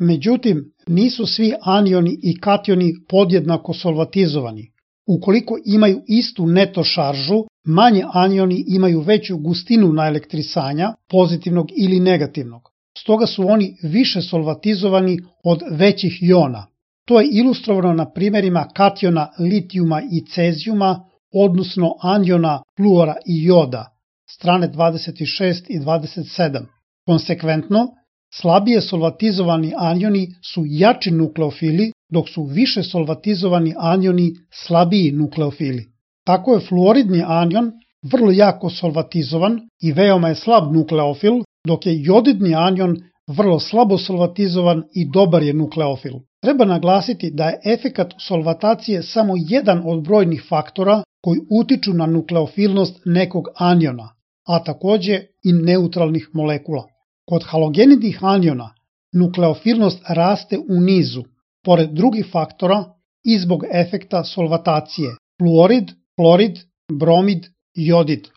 Međutim, nisu svi anioni i kationi podjednako solvatizovani. Ukoliko imaju istu neto šaržu, manje anioni imaju veću gustinu naelektrisanja, pozitivnog ili negativnog. Stoga su oni više solvatizovani od većih jona. To je ilustrovano na primjerima kationa litijuma i cezijuma, odnosno aniona fluora i joda, strane 26 i 27. Konsekventno, slabije solvatizovani anioni su jači nukleofili, dok su više solvatizovani anioni slabiji nukleofili. Tako je fluoridni anion vrlo jako solvatizovan i veoma je slab nukleofil, dok je jodidni anion vrlo slabo solvatizovan i dobar je nukleofil. Treba naglasiti da je efekat solvatacije samo jedan od brojnih faktora koji utiču na nukleofilnost nekog aniona, a takođe i neutralnih molekula. Kod halogenidnih aniona nukleofilnost raste u nizu, pored drugih faktora i zbog efekta solvatacije: fluorid, klorid, bromid, jodid,